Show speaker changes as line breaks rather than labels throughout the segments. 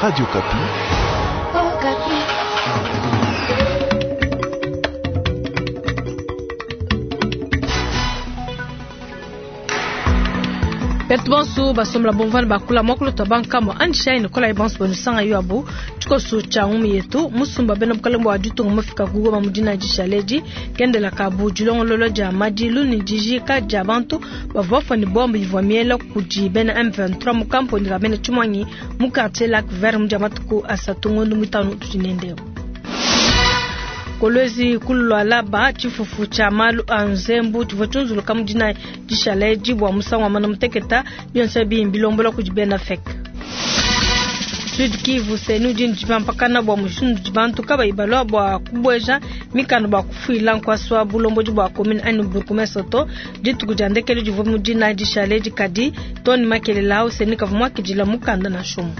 Radio Okapi.
Betu bonso basombola bomvana bakula muakulu tua bankambua anjishayi ne kolayi bonso banusanga yo abu tshikoso tshia ngumu yetu musumba bena bukalenge bua ditunga mufika ku Goma mu dina dishaledi kendela kabu dilongolola dia madilu ne dijika dia bantu bavua bafua ne bombe ivua miela kudi bena M23 mu kamponi ka bena tshimuangi mu quartier Lac Vert mu dia matuku asatu ngondo muitanu tudi nende. Kolwezi ku Lualaba tshifufu tshia malu a nzembu tshivua tshiunzuluka mu dinayi dishala edi bua musangu wa muanda muteketa, bionso ebi mbilombola kudi bena FEC. Sud Kivu, CENI udi ne dipampakana bua mushindu udi bantu kabayi balua bua kubueja mikanda bua kufuila nkuasa wa bulombodi bua commune anyi bourgmestre to. Dituku dia ndekelu divua mu dinayi dishala edi, kadi too ne makelela au CENI kavua muakidila mukanda nansha umue.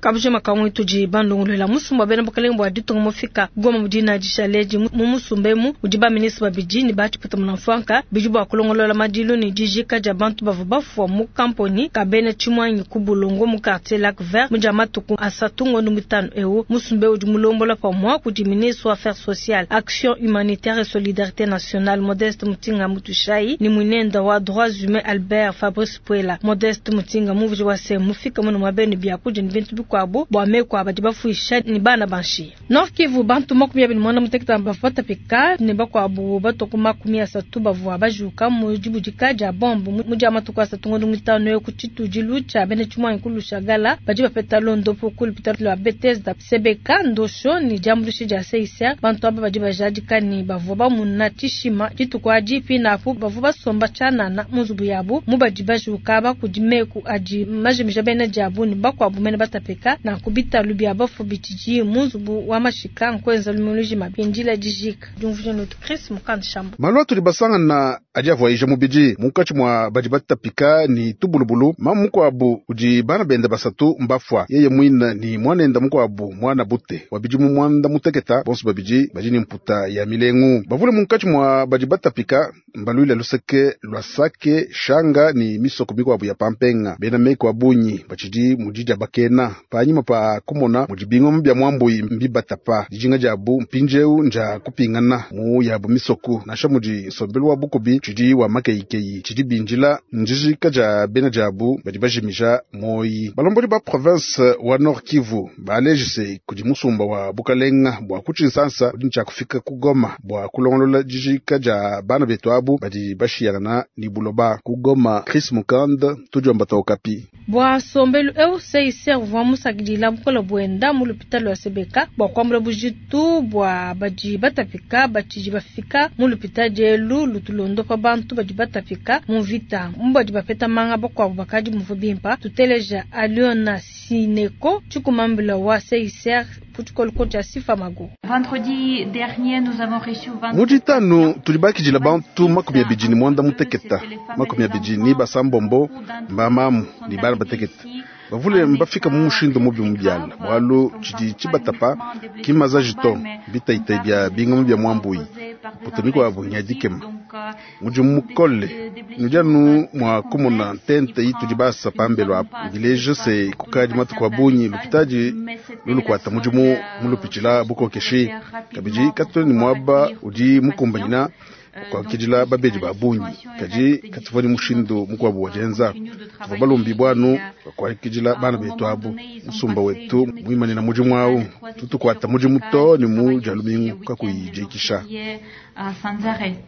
Kabujima kamue tudi bandongoluela musumba wa bena bukalenge bua ditunga mufika Goma mu dina dishala edi. Mu musumba emu mudi ba ministre babidi ne ba tshiputa munamfuanka bidi bua kulongolola madilu ne dijika dia bantu bavua bafua mu kamponi ka bena tshimuangi ku Bulongo mu quartier Lac Vert mu dia matuku asatu ngondo muitanu eu. Musumba eu udi mulombola pamua kudi ministre wa Affaires sociales, Action humanitaire et solidarite nationale Modeste Mutinga Mutuishayi ne muinenda wa Droits humains Albert Fabrice Puela. Modeste Mutinga muvudi wa se mufika munu mua benu biakudia ne bintu bikuabu bua meku a badi bafuisha ne bana ba nshiya. Nord Kivu, bantu 28 bavua batapika ne bakuabu batua ku 30 bavua bajuka mu dibudika dia bombe mu dia matuku asatu ngondo muitanu eu ku tshitudilu tshia bena tshimuangi ku Lushagala. Badi bapeta londopu ku lupitadi lua Bethesda Sebeka Ndosho ne diambuluisha dia CICR. Bantu aba badi bajadika ne bavua bamuna tshishima dituku adi, pinapu bavua basomba tshianana mu nzubu yabu mu badi bajuka aba kudi meku adi majimija bena diabu ne bakuabu mene batapika. Nanku bitalu bia bafu bitshidi mu nzubu wa mashika nkuenza lumingu lujima bindila dijika. Diumvuija netu Chris Mukand Shambo.
Malu atudi basangana adi avuayija mubidi munkatshi mua badi batapika ne tubulubulu. Mamu mukuabu udi bana bende basatu mbafua, yeye muine ne muanende mukuabu muana bute wa bidimu muanda muteketa, bonso babidi badi ne mputa ya milengu. Bavule munkatshi mua badi batapika mbaluile luseke lua Sake, Shanga ne misoko mikuabu ya pampenga. Bena meku a bungi batshidi mu didiabakena panyima pa kumona mudi bingoma bia muambuyi mbibatapa. Dijinga diabu mpindieu ndia kupingana mu yabu misoku, nansha mudi nsombelu wa bukubi tshidi wa makeyikeyi. Tshidi bindila ndijika dia bena diabu badi bajimija muoyi. Balombodi ba province wa Nord Kivu baleji se kudi musumba wa bukalenga bua ku Tshinsansa udi ne tshia kufika ku Goma bua kulongolola dijika dia bana betu abu badi bashiyangana ne buloba. Ku Goma, Chris Mukand, tudiomba tua Okapi.
Bua nsombelu eu, CICR uvua musakidila bukole buenda mu lupitadi lua Sebeka bua kuambula bujitu bua badi batapika batshidi bafika mu lupitadi elu lutu luondopa bantu badi batapika mu mvita. Mu badi bapeta manga bakuabu bakadi bumvue bimpe. Tuteleja Aliona Sineko, tshikumambila wa CICR ku tshikoloko tshia Sifa Mago.
Vendredi dernier, nous avons reçu vingt-sept
Mu ditanu
patients.
tudi bakidila bantu 26, 26 mba mamu ne bana batekete. Bavule mbafika mu mushindu mubi mu biala, bualu tshidi tshibatapa ki mmazaji to, mbitayitayi bia bingoma bia muambuyi. Mputa mikuabu nya dikema. Mudimu mukole nudi anu mua kumona ntente itudi basa pambelu apu, mbileja se kukadi matuku a bungi lupitadi lulukuata mudimu mulupitshila bukokeshi. Kabidi katuena ne muaba udi mukumbanyina kuakidila babedi ba bungi, kadi katuvua ne mushindu mukuabu wa dienza. Tuvua balombibue anu bua kuakidila bana betu abu. Musumba wetu muimanina mudimu au, tutukuata mudimu too ne mu dia lumingu kakuyi dikisha.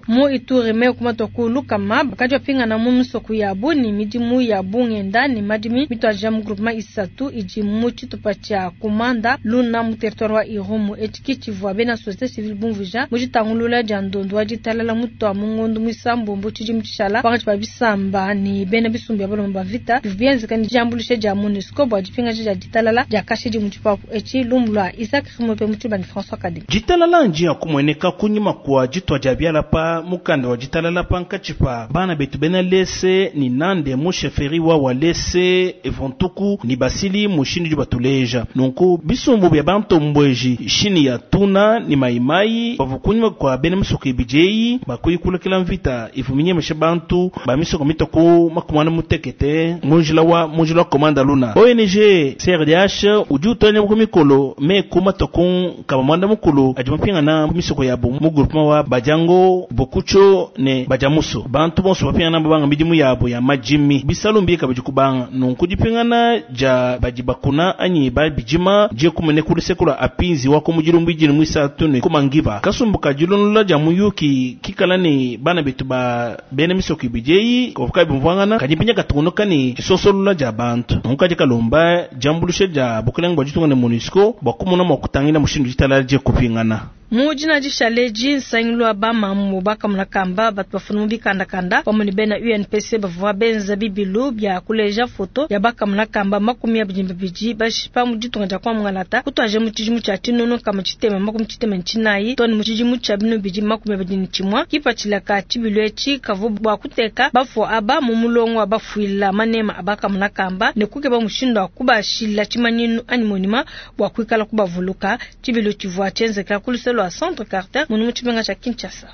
Mu Ituri, meku matua ku lukama bakadi bapingana mu misoko yabu ne midimu ya bungenda ne madimi mituadija mu groupement isatu idi mu tshitupa tshia Komanda Luna mu territoire wa Irumu. Etshi ki tshivua bena société civile bumvuija mu ditangulula dia ndondu wa ditalala mutua mu ngondu muisambombo tshidimu tshishala pankatshi pa bisamba ne bena bisumbu bia balomba ba mvita bivua bienzeka ne diambuluisha dia MONUSCO bua dipingaja dia ditalala dia kashidi mu tshipapu etshi. Lumu lua Isaac Rimope mu tshiluba ne François Kadima.
Ditalala ndia kumueneka kunyima kua
ditua dia biala pa mukanda wa ditalala pankatshi pa bana betu bena Lese ni Nande mu chefferie wa Walese Evontuku ni Basili mushindu udi batuleja. Nunku bisumbu bia bantombueji shini ya Tuna ni Maimai bavua kunyima kua bena misoko ibidi eyi bakuyikulekela mvita ivua minyemesha bantu ba misoko mitua ku makumana mutekete mu njila wa mu njila wa Komanda Luna. ONG CRDH udi utonya ku mikolo meku matua ku nkama muanda mukulu adi mapingana ku misoko yabu mu groupement wa Badiango, Bokucho ne Badiamuso. Bantu bonso bapingana babanga midimu yabo ya madimi bisalu mbi kabidi kubanga. Nunku dipingana dia badi bakuna anyi babidima diekumene ku luseke lua apinzi wa ku mudilu mbidini muisatu ne kumangiba kasumbu ka dilondola dia muyuki kikala ne bana betu ba bena misoko ibidi eyi kavuka bimvuangana kadi mpinya katungunuka ne disosolola dia bantu. Nunku kadi kalomba diambulusha dia bukelenge bua ditunga ne MONUSCO bua kumona mua kutangila mushindu ditalala diekupingana.
Mu dina dishale nsangilu wa bamamu bakamuna kamba batu bafuna mu bikandakanda pamue ne bena UNPC bavua benza bibilu bia kuleja foto ya bakamuna kamba 22 bashipa mu ditunga dia kwa Mungalata kutuaje mu tshidimu tshia tshinono kama tshitema 64 tone mu tshidimu tshia binu bidi 21 kipatshila ka tshibilu etshi kavu bua kuteka bafua aba mu mulongo wa bafuila manema abakamuna kamba ne kukeba mushindu wa kubashila tshimanyinu anyi monima bua kuikala kubavuluka. Tshibilu tshivua tshienzeka ku luselo lwa Centre Carter munu mu tshimenga tshia Kinshasa.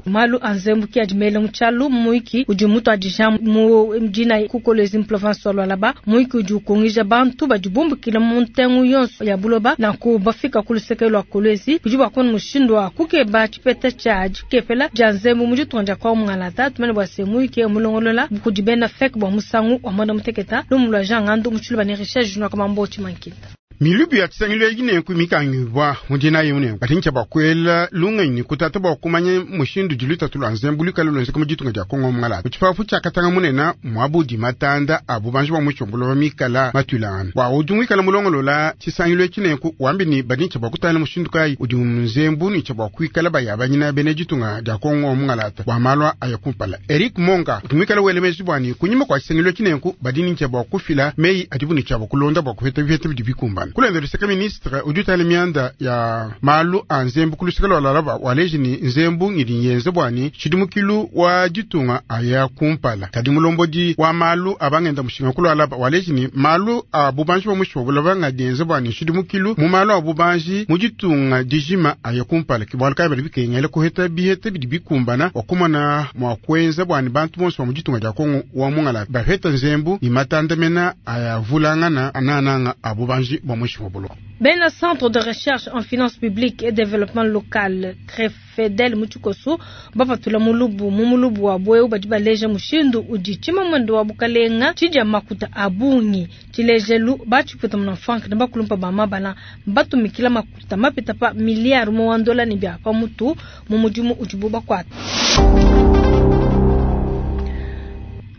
Malu a nzembu ki adi mele mu tshialu muiki udi mutuadija mu dina ku Kolwezi mu province wa Lualaba. Muiki udi ukungija bantu badi bumbukila mu ntengu yonso ya buloba nanku bafika ku luseke lua Kolwezi bidi bua kubona mushindu wa kukeba tshipeta tshia dikepela dia nzembu mu ditunga dia kwa Mungalata. Tumane bua se muiki mulongolola kudi bena FEC bua musangu wa mwanda muteketa lumu lua Jean Ngandu mu tshiluba ne Richard Junior Kamambo Tshimankinta.
Milubu ya tshisangilu eyi nenku mikangibwa mu dina yimune batintsha bua kuela lungenyi kutata bua kumanya mushindu udi lutatu lua nzembu luikale luenzeka mu ditunga dia Kongo Mungalata. Mu tshipapu tshia Katanga munene muabudi matanda a bubanji bua mushombolo wa mikala matuilangana. Bua udi muikale mulongolola tshisangilu etshi nenku wambi ni badintsha bua kutangila mushindu kayi udi nzembu ni tsha bua kuikala bayabanyina bena ditunga dia Kongo Mungalata bua malu aya kumpala. Eric Monga udi muikale wele meji bua ni kunyima kua tshisangilu etshi nenku badintsha bua kufila meyi adibu ni tsha bua kulonda bua kupeta bipeta bidi bikumbana. Kulenda luseke ministre udi utala mianda ya malu a nzembu ku luseke lua Lualaba waleji ni nzembu ngidi nyenze bua ni tshidimukilu wa ditunga aya kumpala. Kadi mulombodi wa malu abangenda mushinga ku Lualaba waleji ni malu a bubanji bua mushinga bulaba ngadi yenze bua ni tshidimukilu mu malu a bubanji mu ditunga dijima aya kumpala. Ki bualu kayi badi bikengela kuheta biheta bidi bikumbana wa kumona mua kuenza bua ni bantu bonso ba mu ditunga dia Kongo wa Mungalata bapeta nzembu ni matanda mena aya vulangana anananga a bubanji bua mushinga buloba.
Bena Centre de recherche en finances publiques et développement local Crefedel Muchikoso bapatula mulubu mu mulubu wa bweu badi baleja mushindu udi tshimamwendo wa bukalenga tshidia makuta a bungi. Tshilejelu batshiputa muna frank ne bakulumpa ba mabala batumikila makuta mapita pa milliard mu wa ndola ne bia pa mutu mu mudimu udibu bakuata.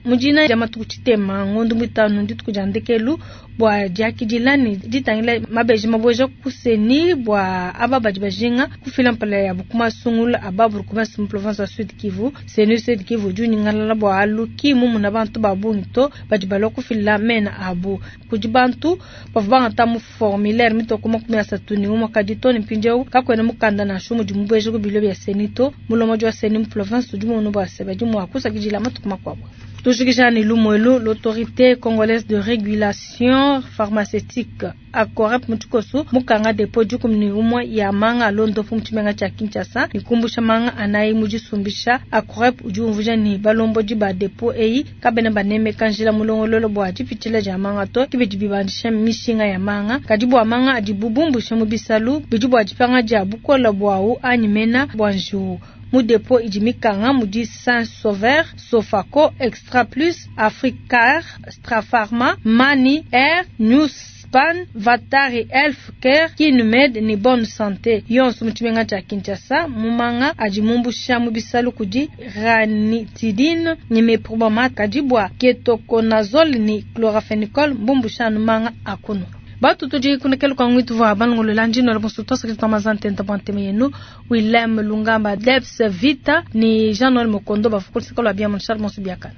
Mujina ya matuku tshitema ngondo mitano ndituku dia ndekelu bua diakidila ne ditangila mabeji maboja kuseni bua aba badi bajinga kufila mpala ya bukuma sungula aba burukuma mu province ya Sud Kivu. Seni Sud Kivu udi unyingalala bua aluki mumuna bantu ba bungi to badi balua kufila mena abu kudi bantu bavua bangata mu formulaire mitoko 31 kadi to ne mpindieu kakuena mukanda nansha mudi mubueje ku bilo bia seni to mulomodi wa seni mu province udi mumona bua se badi mua kusakidila matuku makuabu. Tujikijani Lumwelu, l'autorité congolaise de régulation pharmaceutique akorep muchikoso mukanga depo dikumi umwe ya manga londo fu muchimenga cha Kinshasa nikumbusha manga anayi mujisumbisha akorep udi umvuja ni balombo di ba depo eyi kabena baneme kanjila mulongololo bua dipitshila dia manga to kibidi bibandisha mishinga ya manga kadi bua manga adi bubumbusha mu bisalu bidi bua dipanga dia bukola bwawu anyi mena bua njiwu. Mu depo idi mikanga mudi Saint Sauveur, Sofako, Extra Plus, Africar, Strafarma, Mani, Air, News Pan, Vatari, Elf Care, Kinumed ni Bonne Santé. Yonso mu tshimenga tshia Kinshasa, mumanga adi mumbusha mu bisalu kudi ranitidine ni meprobamate kadi bua ketoconazole ni chloramphenicol mbumbusha anu manga akuno. Batu tudi kunekelu kwa ngwitu vwa balongolola ndino la bonso tosa kitu mazante ntabante yenu Willem Lungamba Debs Vita ni Jean-Noël Mokondo bafukulisa kwa bia mon Charles Monsu biakana.